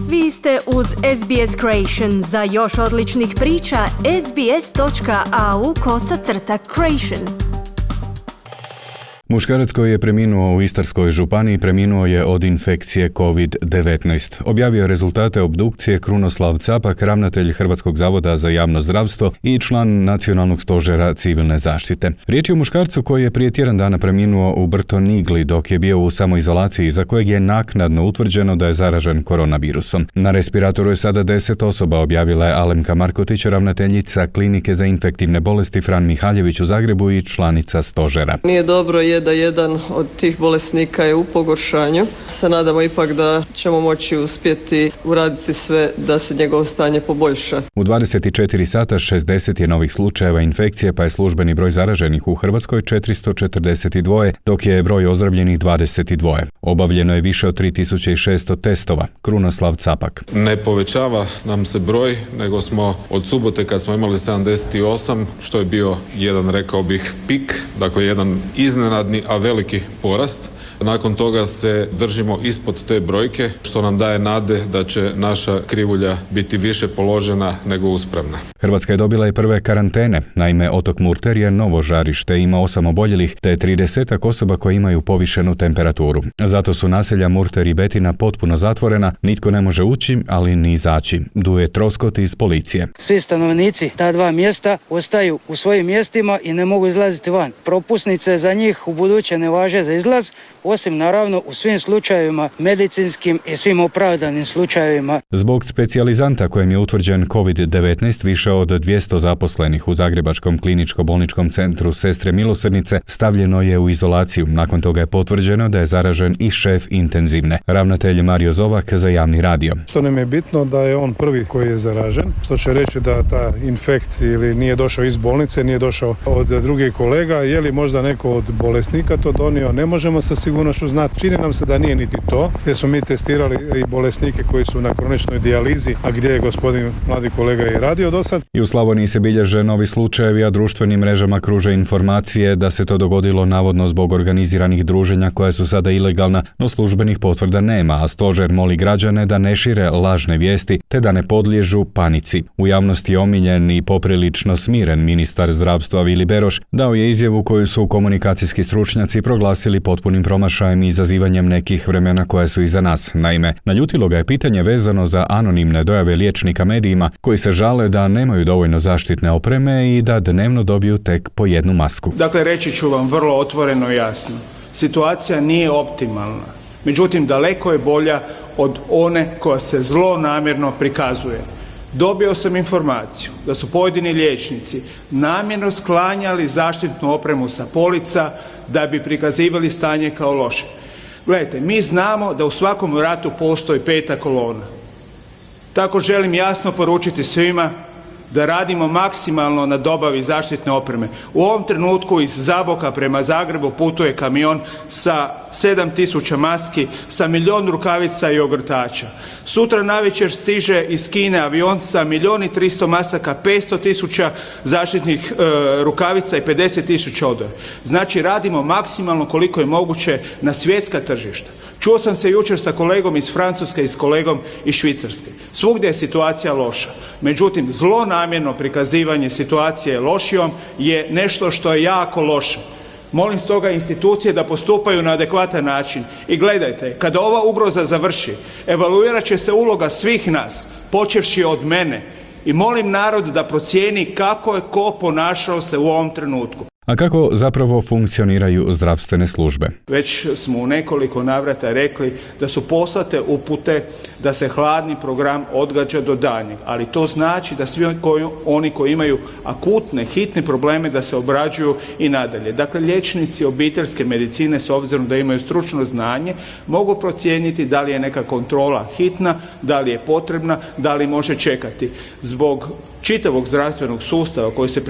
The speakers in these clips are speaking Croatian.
Vi ste uz SBS Creation. Za još odličnih priča, sbs.au/creation. Muškarac koji je preminuo u Istarskoj županiji preminuo je od infekcije COVID-19. Objavio je rezultate obdukcije Krunoslav Capak, ravnatelj Hrvatskog zavoda za javno zdravstvo i član Nacionalnog stožera civilne zaštite. Riječ je o muškarcu koji je prije tjedan dana preminuo u Brtonigli dok je bio u samoizolaciji, za kojeg je naknadno utvrđeno da je zaražen koronavirusom. Na respiratoru je sada 10 osoba, objavila je Alemka Markotić, ravnateljica Klinike za infektivne bolesti Fran Mihaljević u Zagrebu i članica stožera. Nije dobro da jedan od tih bolesnika je u pogoršanju. Se nadamo ipak da ćemo moći uspjeti uraditi sve da se njegovo stanje poboljša. U 24 sata 60 je novih slučajeva infekcije, pa je službeni broj zaraženih u Hrvatskoj 442, dok je broj ozdravljenih 22. Obavljeno je više od 3600 testova. Krunoslav Capak. Ne povećava nam se broj, nego smo od subote kad smo imali 78, što je bio jedan, rekao bih, pik, dakle jedan iznenadni, a veliki porast. Nakon toga se držimo ispod te brojke, što nam daje nade da će naša krivulja biti više položena nego uspravna. Hrvatska je dobila i prve karantene. Naime, otok Murter je novo žarište, ima 8 oboljelih, te 30 osoba koji imaju povišenu temperaturu. Zato su naselja Murter i Betina potpuno zatvorena, nitko ne može ući, ali ni izaći. Duje troskot iz policije. Svi stanovnici ta dva mjesta ostaju u svojim mjestima i ne mogu izlaziti van. Propusnice za njih u buduće ne važe za izlaz, osim naravno u svim slučajevima medicinskim i svim opravdanim slučajevima. Zbog specijalizanta kojem je utvrđen COVID-19, više od 200 zaposlenih u Zagrebačkom kliničko-bolničkom centru Sestre Milosrdnice stavljeno je u izolaciju. Nakon toga je potvrđeno da je zaražen i šef intenzivne. Ravnatelj Mario Zovak za javni radio. Što nam je bitno da je on prvi koji je zaražen, što će reći da ta infekt ili nije došao iz bolnice, nije došao od drugih kolega, je li možda neko od bolesnika to donio, ne možemo sa sigurnošću znati. Čini nam se da nije niti to, gdje smo mi testirali i bolesnike koji su na kroničnoj dijalizi, a gdje je gospodin mladi kolega i radio do sad. I u Slavoniji se bilježe novi slučajevi, a društvenim mrežama kruže informacije da se to dogodilo navodno zbog organiziranih druženja koja su sada ilegalna, no službenih potvrda nema, a stožer moli građane da ne šire lažne vijesti te da ne podliježu panici. U javnosti je omiljen i poprilično smiren ministar zdravstva Vili Beroš dao je izjavu koju su komunikacijski stručnjaci proglasili potpunim promašajem i izazivanjem nekih vremena koja su iza nas. Naime, naljutilo ga je pitanje vezano za anonimne dojave liječnika medijima koji se žale da nemaju dovoljno zaštitne opreme i da dnevno dobiju tek po jednu masku. Dakle, reći ću vam vrlo otvoreno i jasno. Situacija nije optimalna. Međutim, daleko je bolja od one koja se zlonamjerno prikazuje. Dobio sam informaciju da su pojedini liječnici namjerno sklanjali zaštitnu opremu sa polica da bi prikazivali stanje kao loše. Gledajte, mi znamo da u svakom ratu postoji peta kolona. Tako želim jasno poručiti svima da radimo maksimalno na dobavi zaštitne opreme. U ovom trenutku iz Zaboka prema Zagrebu putuje kamion sa 7000 maski, sa 1.000.000 rukavica i ogrtača. Sutra navečer stiže iz Kine avion sa 1.300.000 masaka, 500.000 zaštitnih rukavica i 50.000 odora. Znači radimo maksimalno koliko je moguće na svjetska tržišta. Čuo sam se jučer sa kolegom iz Francuske i s kolegom iz Švicarske. Svugdje je situacija loša. Međutim, zlonamjerno prikazivanje situacije lošijom je nešto što je jako loše. Molim stoga institucije da postupaju na adekvatan način. I gledajte, kada ova ugroza završi, evaluirat će se uloga svih nas, počevši od mene. I molim narod da procijeni kako je ko ponašao se u ovom trenutku. A kako zapravo funkcioniraju zdravstvene službe? Već smo u nekoliko navrata rekli da su poslate upute da se hladni program odgađa do daljnjeg, ali to znači da svi oni koji imaju akutne, hitne probleme da se obrađuju i nadalje. Dakle, liječnici obiteljske medicine, s obzirom da imaju stručno znanje, mogu procijeniti da li je neka kontrola hitna, da li je potrebna, da li može čekati. Zbog čitavog zdravstvenog sustava koji se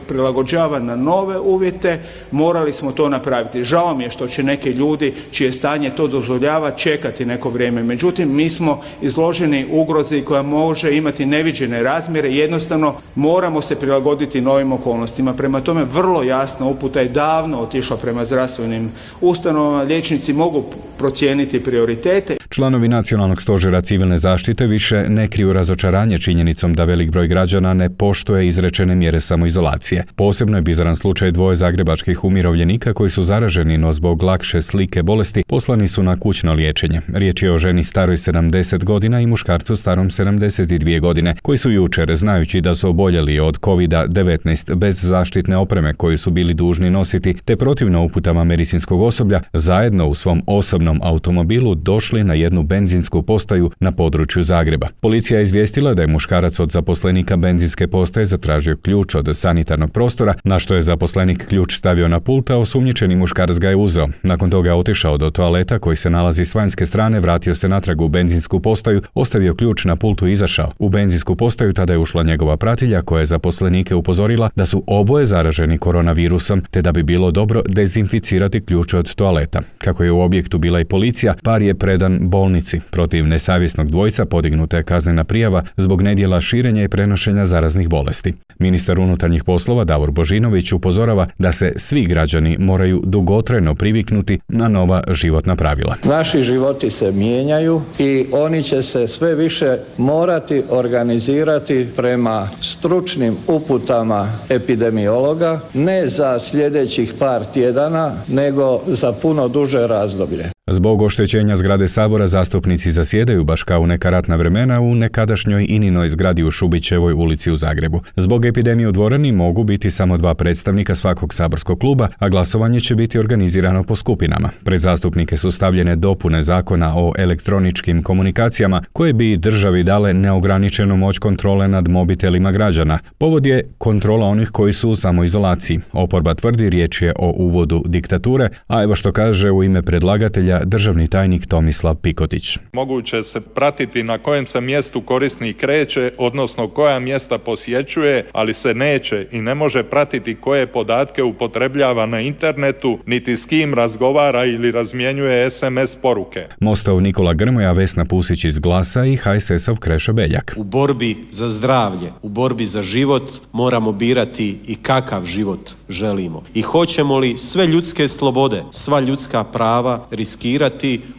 prilagođava na nove uvjete, morali smo to napraviti. Žao mi je što će neki ljudi čije stanje to dozvoljava čekati neko vrijeme. Međutim, mi smo izloženi ugrozi koja može imati neviđene razmjere i jednostavno moramo se prilagoditi novim okolnostima. Prema tome, vrlo jasna uputa je davno otišla prema zdravstvenim ustanovama. Liječnici mogu procijeniti prioritete. Članovi Nacionalnog stožera civilne zaštite više ne kriju razočaranje činjenicom da velik broj građana ne poštuje izrečene mjere samoizolacije. Posebno je bizaran slučaj dvoje zagrebačkih umirovljenika koji su zaraženi, no zbog lakše slike bolesti poslani su na kućno liječenje. Riječ je o ženi staroj 70 godina i muškarcu starom 72 godine, koji su jučer, znajući da su oboljeli od COVID-19 bez zaštitne opreme koju su bili dužni nositi, te protivno uputama medicinskog osoblja, zajedno u svom osobnom automobilu došli na jednu benzinsku postaju na području Zagreba. Policija je izvijestila da je muškarac od zaposlenika benzinske postaje zatražio ključ od sanitarnog prostora, na što je zaposlenik ključ stavio na pult, a osumnjičeni muškarac ga je uzeo. Nakon toga je otišao do toaleta koji se nalazi s vanjske strane, vratio se natrag u benzinsku postaju, ostavio ključ na pultu i izašao. U benzinsku postaju tada je ušla njegova pratilja koja je zaposlenike upozorila da su oboje zaraženi koronavirusom, te da bi bilo dobro dezinficirati ključ od toaleta. Kako je u objektu bila i policija, par je predan bolnici. Protiv nesavjesnog dvojca podignuta je kaznena prijava zbog nedjela širenja i prenošenja zaraznih bolesti. Ministar unutarnjih poslova Davor Božinović upozorava da se svi građani moraju dugotrajno priviknuti na nova životna pravila. Naši životi se mijenjaju i oni će se sve više morati organizirati prema stručnim uputama epidemiologa, ne za sljedećih par tjedana, nego za puno duže razdoblje. Zbog oštećenja zgrade Sabora zastupnici zasjedaju baš kao u neka ratna vremena u nekadašnjoj Ininoj zgradi u Šubićevoj ulici u Zagrebu. Zbog epidemije u dvorani mogu biti samo 2 predstavnika svakog saborskog kluba, a glasovanje će biti organizirano po skupinama. Pred zastupnike su stavljene dopune zakona o elektroničkim komunikacijama koje bi državi dale neograničenu moć kontrole nad mobitelima građana. Povod je kontrola onih koji su u samoizolaciji. Oporba tvrdi riječ je o uvodu diktature, a evo što kaže u ime predlagatelja državni tajnik Tomislav Pikotić. Moguće se pratiti na kojem se mjestu korisnik kreće, odnosno koja mjesta posjećuje, ali se neće i ne može pratiti koje podatke upotrebljava na internetu, niti s kim razgovara ili razmjenjuje SMS poruke. Mostov Nikola Grmoja, Vesna Pusić iz Glasa i HSS-ov Krešo Beljak. U borbi za zdravlje, u borbi za život moramo birati i kakav život želimo. I hoćemo li sve ljudske slobode, sva ljudska prava riskirati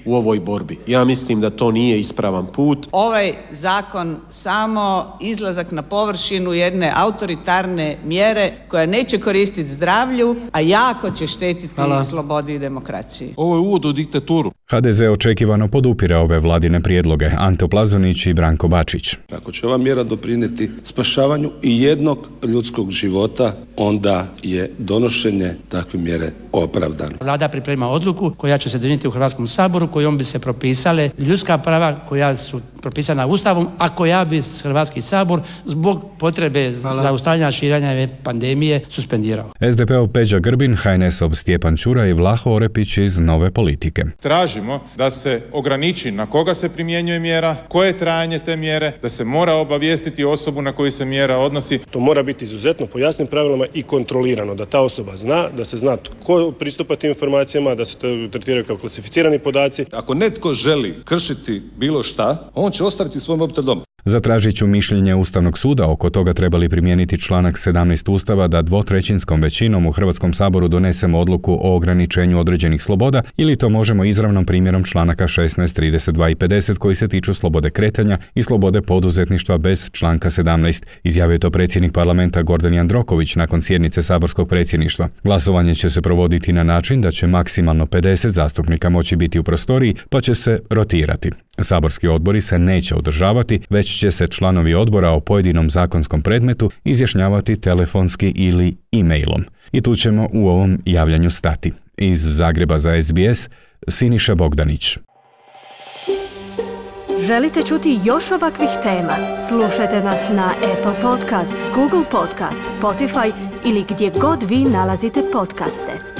u ovoj borbi. Ja mislim da to nije ispravan put. Ovaj zakon samo izlazak na površinu jedne autoritarne mjere koja neće koristiti zdravlju, a jako će štetiti slobodi i demokraciji. Ovo je uvod u diktaturu. HDZ očekivano podupire ove vladine prijedloge. Anto Plazonić i Branko Bačić. Ako će ova mjera doprinijeti spašavanju i jednog ljudskog života, onda je donošenje takve mjere opravdano. Vlada priprema odluku koja će se donijeti u Hrvatskom saboru, kojom bi se propisale ljudska prava koja su propisana Ustavom, a koja bi Hrvatski sabor zbog potrebe zaustavljanja širenja pandemije suspendirao. SDP-ov Peđa Grbin, HNS-ov Stjepan Ćuraj i Vlaho Orepić iz Nove politike. Tražimo da se ograniči na koga se primjenjuje mjera, koje je trajanje te mjere, da se mora obavijestiti osobu na koju se mjera odnosi. To mora biti izuzetno po jasnim pravilima i kontrolirano, da ta osoba zna, da se zna tko pristupa tim informacijama, da se to tretiraju kao klasificirani podaci. Ako netko želi kršiti bilo šta, on će ostaviti svoj mobitel doma. Zatražit ću mišljenje Ustavnog suda oko toga treba li primijeniti članak 17 Ustava da 2/3 većinom u Hrvatskom saboru donesemo odluku o ograničenju određenih sloboda ili to možemo izravnom primjerom članaka 16, 32 i 50 koji se tiču slobode kretanja i slobode poduzetništva bez članka 17, izjavio to predsjednik parlamenta Gordan Jandroković nakon sjednice saborskog predsjedništva. Glasovanje će se provoditi na način da će maksimalno 50 zastupnika moći biti u prostoriji, pa će se rotirati. Saborski odbori se neće održavati, već će se članovi odbora o pojedinom zakonskom predmetu izjašnjavati telefonski ili e-mailom. I tu ćemo u ovom javljanju stati. Iz Zagreba za SBS, Siniša Bogdanić. Želite čuti još ovakvih tema? Slušajte nas na Apple Podcast, Google Podcast, Spotify ili gdje god vi nalazite podcaste.